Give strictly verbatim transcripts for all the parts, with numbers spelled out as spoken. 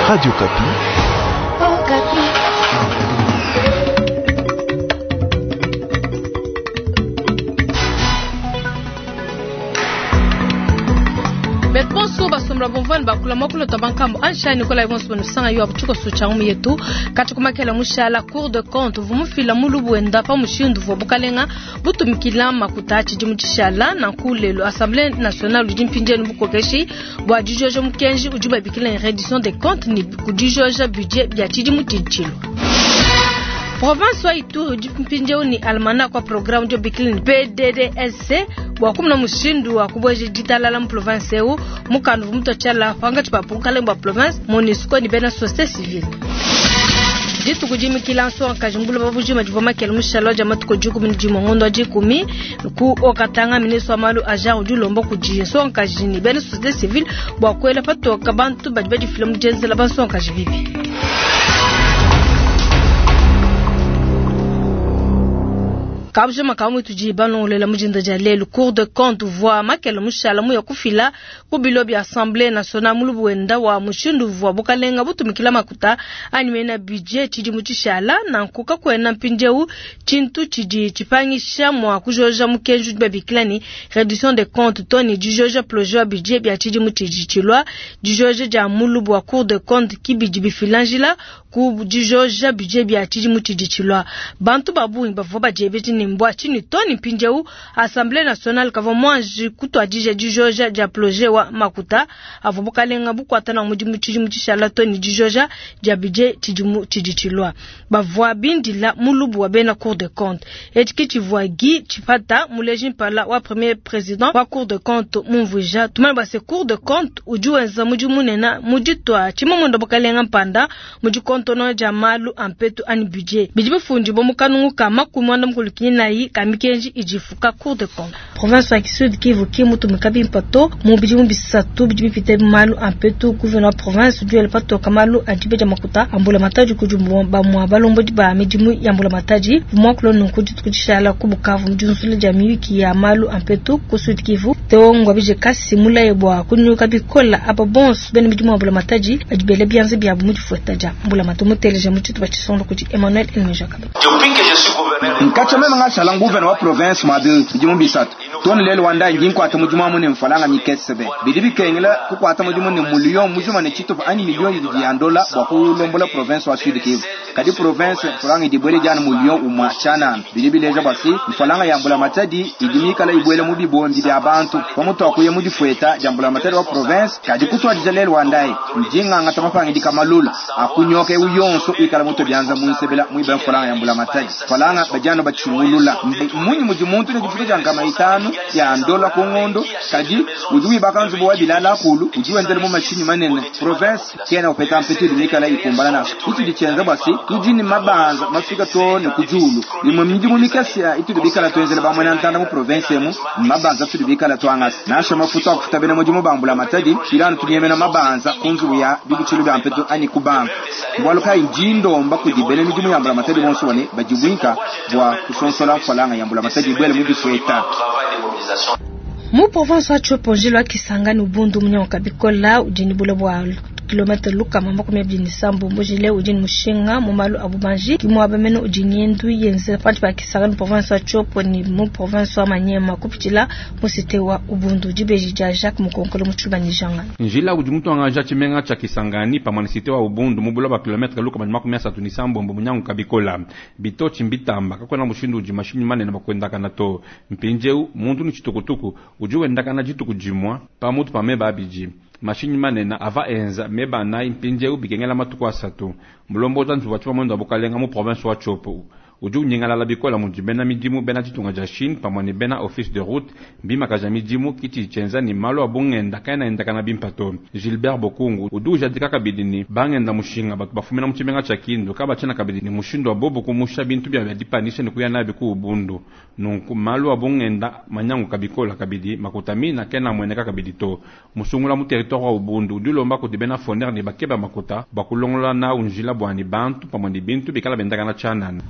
Radio Okapi. Okapi. Beponso basombela bomvani bakula makulu to bankambo anshani kola ibonso banusanga yo abuchuko sucha umu yetu kati kumakela mushala Cour de compte vumufila mulubu enda pa mushindu vo bukalenga butumikila makuta tshidi mutshishala na nkulelo Assemblée nationale udi mpindienu bukokeshi bua dijoja mukenji udi babikila reddition des comptes ni kudijoja budget bia tshidi mutshitshilo. Province wa Ituri udi mpindieu ni almanach wa programme dio bikila ni P D D S C bua kumuna mushindu wa kubueja ditalala mu province eu mukandu vumutu tshiala pangatshi pa bukalenga bua province MONUSCO ni bena société civile. Dituku dimikila nsongakaji mbula babujima divua makele mushala dia matuku dikumi ne dimue ngondo wa dikumi ku Haut-Katanga ministre wa malu a genre udi ulomba kudi nsongakaji ni bena société civile bua kuela patoka bantu badi badifila mu dienzela bansongakaji bibi. Kabujima kamwe tudi balongolela mujinda dia lelu Cour de compte voit makele mushala muya kufila ku bilo bia Assemblée nationale mulubu wenda wa mushindu vwa bukalenga butumikila makuta animena budget tshidi mutshishala na nkuka kwena mpindieu tshintu tshidi tshipangisha mwa kujoja mukenji udi babikila ni réduction des comptes to ni dijoja projet wa budget bia tshidi mutshitshilwa dijoja dia mulubu wa Cour de compte kibidi bifilanjila ku dijoja budget bia tshidi mutshitshilwa bantu babungi bavua badiebeti ni mbwa chini toni mpindieu Assemblée nationale kava mwanji kutwadija dijoja dia projet wa makuta avo bukalenga bukwata na mudimu tshidimu tshishala toni dijoja dia budget tshidimu tshiditshilwa bavua bindila mulubu wa bena Cour de compte etiki tshivua Guy Tshipata muleji mpala wa premier président wa Cour de compte mumvuija tumana base Cour de compte udi wenza mudimu munene muditwa tshimamondo bukalenga mpanda mudi kontono dia malu ampetu ani budget bidi bifundi bo mukanungu ka makumi mwanda mukulu nayi kamikenji ijifuka Cour de compte province ya Sud Kivu ki mutu mikabi mpato mu bidimu bisatu bidi bipite malu ampetu gouverneur province du el pato kamalu adibe ja makuta ambula mataji kujumbu ba mwa balombo di ba midimu ya ambula mataji mwa kulo nunku ditukutshala ku Bukavu mjunzule ja miyuki ya malu ampetu ku Sud Kivu teongwa bije kasi mulaye bwa kunyuka bikola aba bons bene midimu ambula mataji adibele bianze bya mu difueta ja ambula matumu teleje mu tshitu batshisondo kuti Emmanuel Elmejakabe. Nkacha meme ngashala nguvena wa province mwabi bidimu bisatu toni lelo wanda ngi nkwata mudimu amu ne mfalanga mikesebe bidi bikengela kukwata mudimu ne mulio mujima ne chitupa ani milio yidi ya ndola bwa kulombola province wa Sud Kivu kadi province mfalanga idibwele jana mulio umwa chana bidi bileja basi mfalanga ya mbula matadi idimikala ibwele mu bibombi bya bantu pamutu akuye mu difueta ya mbula matadi wa province kadi kutwadija lelo wandai njinga ngata mapanga dikamalula akunyoka uyonso ikala muto byanza munsebela muiba mfalanga ya mbula matadi mfalanga bajano bachungulula munyi muji muntu ne difuta janga maitano ya ndola kongondo kadi udi wibaka nzubu wa bilala kulu udi wenzela mu mashini manene province kena upeta mpetu dimikala ikumbana naso itu dichenza basi tudi ni mabanza mafika to ne kujulu imwe midimu mikasi itu dibikala twenzela bamwe na ntanda mu province emu mabanza tudi bikala twangasi nasha mafuta akufuta bene mujimu bambula matadi ilano tunyemena mabanza kunzubu ya bibuchilu bya mpetu ani kubanka bwaluka injindomba kudibele midimu yambula matadi bonso bane bajibwinka bwa kusonsola mfalanga yambula matadi bwele mu difueta. Mu province wa Tshopo njilo wa Kisangani Ubundu munyango bikola udi ni bule bwa kilomètre luka mamba kumi abidi ni sambo mbojile udi ni mushinga mu malu a bubanji kimwaba mene udi ngendu yenze panshi pa Kisangani province wa Tshopo ni mu province wa Maniema kupitila mu cité wa Ubundu dibeji dia Jacques Mukonkolo mu Tshuba ni Janga. Njila udi mutu angaja tshimenga tshia Kisangani pamwe na cité wa Ubundu mu bule bwa kilomètre luka mamba makumi asatu ni sambo mbo munyango kabikola bitochi mbitamba kakwena mushindu udi mashinyi manene bakwendakana to mpinjeu muntu ni chitukutuku udi wendakana dituku dimwa pamutu pa meba abidi mashinyi manene ava enza meba anayi mpindieu bikengela matuku asatu mulomboza nzubu wa tshipa wa bukalenga mu province wa Tshopo udi unyingalala bikola mudi bena midimu bena ditunga dia Chine pamwe ne bena office de route mbimakaja midimu kiti tshienza ni malu a bungenda kaena endakana bimpa to. Gilbert Bokungu udi ujadika kabidi ni bangenda mushinga batu bafumina mu tshimenga tshia Kindu kabatshiena kabidi ni mushindu wa bobo kumusha bintu bia dipanisha ni kuya nabi ku Ubundu nunku malu a bungenda manyangu kabikola kabidi makuta mina kena mweneka kabidi to musungula mu territoire wa Ubundu udi ulomba kudi bena foner ni bakeba makuta bakulongola na unjila bwani bantu pamwe ni bintu bikala bendakana tshianana.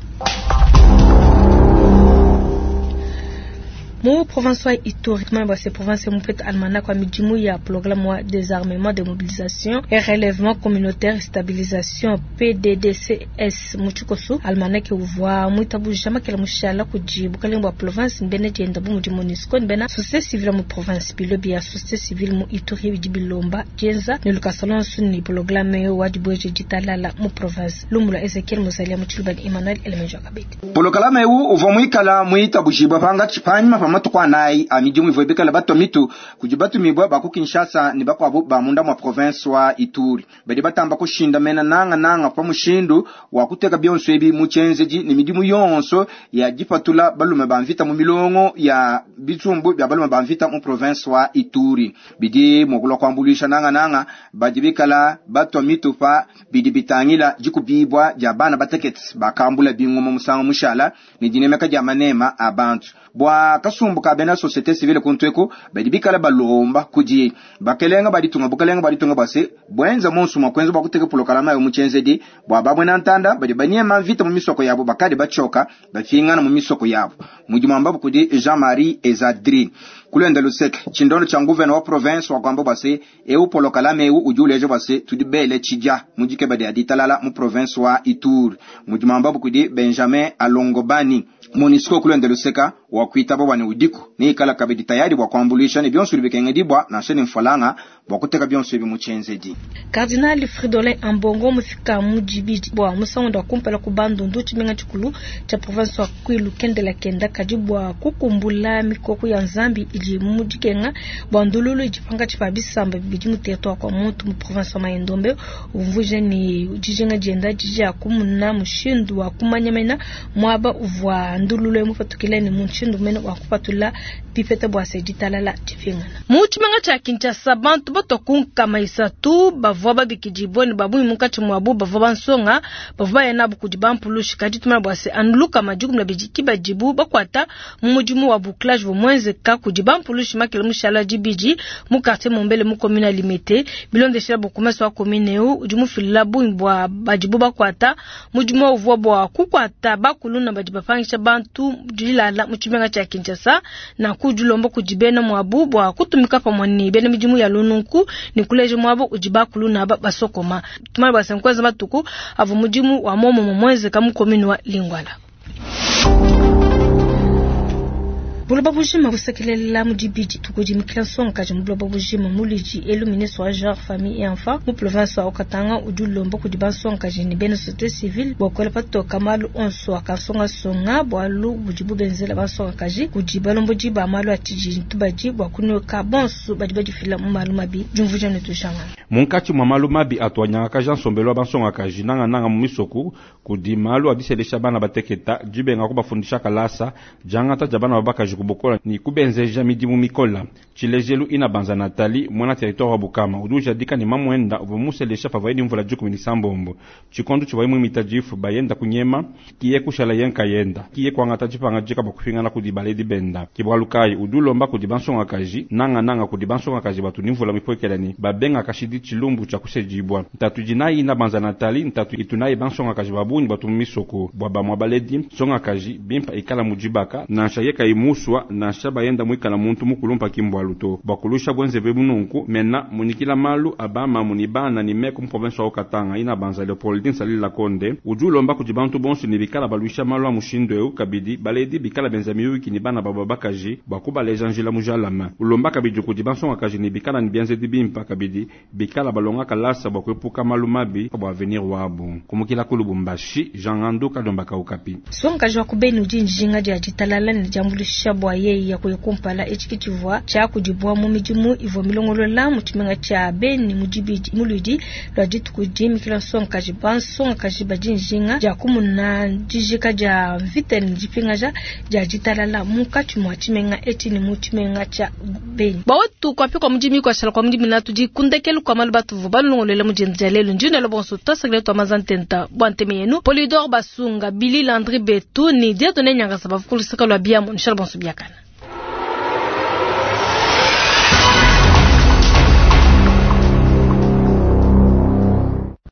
Mu Mu province wa Ituri, tumanye bua se province mupeta almanach wa midimu ya programme wa désarmement, démobilisation et relèvement communautaire stabilisation P D D C S mu tshikoso. Almanach uvua muitabuja makela mushala kudi bukalenga bua province mbene dienda bu mudi MONUSCO mbena société civile mu province. Bilo bia société civile mu Ituri bidi bilomba dienza ne lukasa lonso ni programme wa dibueje ditalala mu province. Lumula Ezekiel Muzalia mu tshiluba ni Emmanuel Elemenjo Kabedi. Polokalama eu uvua muikala muitabujibwa pangatshi panyima pa matuku anayi a midimu ivua bikala batua mitu kudi batumibua ba ku Kinshasa ne bakuabu ba munda mua province wa Ituri. Badi batamba kushinda mena nanga nanga pa mushindu wa kuteka bionso ebi mu tshienzedi ne midimu yonso ya dipatula balume ba mvita mu milongo ya bitsumbu bia balume ba mvita mu province wa Ituri. Bidi mua kuambuluisha nanga nanga badi bikala batua mitu pa bidi bitangila dikubibwa dia bana batekete bakambula bingoma musangu mushala ne dinemeka dia manema a bantu. Bua kasumbu ka bena société civile kuntu eku badi bikala balomba kudi bakelenga baditunga bukalenga baditunga base bwenza monso mwa kwenza bwakuteka polokalama yo muchenzedi bwa babwena ntanda badi banyema mvita mu misoko yabo bakadi bachoka bafingana mu misoko yabo. Mudimu ambapo kudi Jean-Marie Ezadri kulenda luseke chindono cha nguvena wa province wa kwamba base eu polokalama eu udi uleja base tudi bele chija mujike badi aditalala mu province wa Ituri. Mudimu ambapo kudi Benjamin Alongobani. MONUSCO kulenda luseka wa kuitaba bwane udiku ni ikala kabidi tayari bwa kuambulisha ne bionso bikengedibwa na shene mfalanga bwa kuteka bionso ebi muchenzedi. Cardinal Fridolin Ambongo mufika mujibidi bwa musango wa kumpala ku Bandundu, tshimenga tshikulu tsha province wa Kwilu kendela kenda kadi bwa kukumbula mikoko ya Nzambi idi mu dikenga bwa ndululu idi pankatshi pa bisamba bidi mu territoire kwa muntu mu province wa Mai-Ndombe. Umvuija ni dijinga dienda didi kumuna mushindu wa kumanya mena muaba uvua ndululu mupatukile ni mushindu mene wa kupatula bipeta bua se ditalala dipingana. Mu tshimenga tshia Kinshasa, bantu batua ku nkama isatu bavua babikidibue ne babungi munkatshi muabu bavua bansonga bavua baya nabu kudi bampulushi. Kadi tumana bua se anu lukama dikumi na bidi ki badibu bakuata mu mudimu wa bouclage bumuenzeka kudi bampulushi makele mushala dibidi mu quartier Mombele mu commune Limete. Bilondeshela bourgmestre wa commune eu udi mufilila bungi bua badibu bakuata. Mudimu uvua bua kukuata bakuluna badi bapangisha bantu dilala mu tshimenga tshia Kinshasa na kudilomba kudi bena muabu bua kutumika pamue ne bena midimu ya lununku ne kuleja muabu udi bakuluna ba basokoma. Tumana bua se nkweza matuku avua mudimu wa momomo muenzeka mu commune wa Lingwala. Buloba bujima busekelela mu dibidi tukudi mikila nsongakaji mu buloba bujima. Mulidi elu, ministre wa genre, famille et enfant mu province wa Haut-Katanga udi ulomba kudi bansongakaji ne bena société civile bua kuela patoka malu onso akansongasonga bualu budibu benzela bansongakaji kudi balombodi ba malu a tshididi tubadi bua kunyoka bonso badi badifila mu malu mabi. Diumvuija ne tushangana. Munkatshi mua malu mabi atuanyangakaja nsombelu wa bansongakaji nangananga mu misoku kudi malu adiselesha bana bateketa dibenga kubafundisha kalasa diangata dia bana babakaji kubukola ni kubenzeja midimu mikola. Tshilejelu ina banza Natali mwana territoire wa Bukama udi ujadika ni mamwenda uvua muselesha pavua ni mvula dikumi ni sambombo tshikondo tshivua muimita difu bayenda kunyema kiye kushala yenka yenda kiye kuangata dipanga dika bakupingana kudi baledi benda. Kibwalukayi udi ulomba kudi bansongakaji nanga nanga kudi bansongakaji batu ni mvula mipwekelani babenga kashidi tshilumbu tshia kusejibwa. Ntatu dinayi ina banza Natali ntatu itunayi bansongakaji babunyi batu mu misoko bua bamua baledi nsongakaji bimpa ikala mujibaka nansha yeka imuswa nansha bayenda mwikala muntu mukulumpa kimbwalu to bakulusha bwenzeve bununku mena munikila malu abama muni bana ni meku mu province wa Haut-Katanga ina banza Leopoldine Salila Konde udi ulomba kudi bantu bonso ni bikala baluisha malu a mushindu eu kabidi baledi bikala benza miyuki ni bana babo bakaji bua kubaleja njila mujalama. Ulomba kabidi kudi bansongakaji ni bikala ni bienzedi bimpa kabidi bikala balonga kalasa bua kuepuka malu mabi bua avenir wabu. Kumukila ku Lubumbashi, Jean Ngandu Kalomba Kaukapi. Songaji wa kubeni udi njinga dia ditalala ne diambuluisha bua yeyi ya kuya kumpala. Etshi tshivua tshiakudibua mu midimu ivua milongolola mu tshimenga tshia Beni mu dibidi muludi lua dituku dimikila nsongakaji. Bansongakaji badi njinga dia kumuna dijika dia mvita ne dipingaja dia ditalala munkatshi mua tshimenga etshi ne mu tshimenga tshia Beni. Bawetu kwapi kwa mudimi kwashala kwa mudimi na tudi kundekelu kwa malu batuvu balongolola mu dienza dia lelu. Ndinelo bonso twasakile twa mazantenta bua nteme yenu Polydor Basunga Billy Landry Betu ni Dieudonné Nyangasa bavukulusaka lwa biamu. Nshala bonso biakana.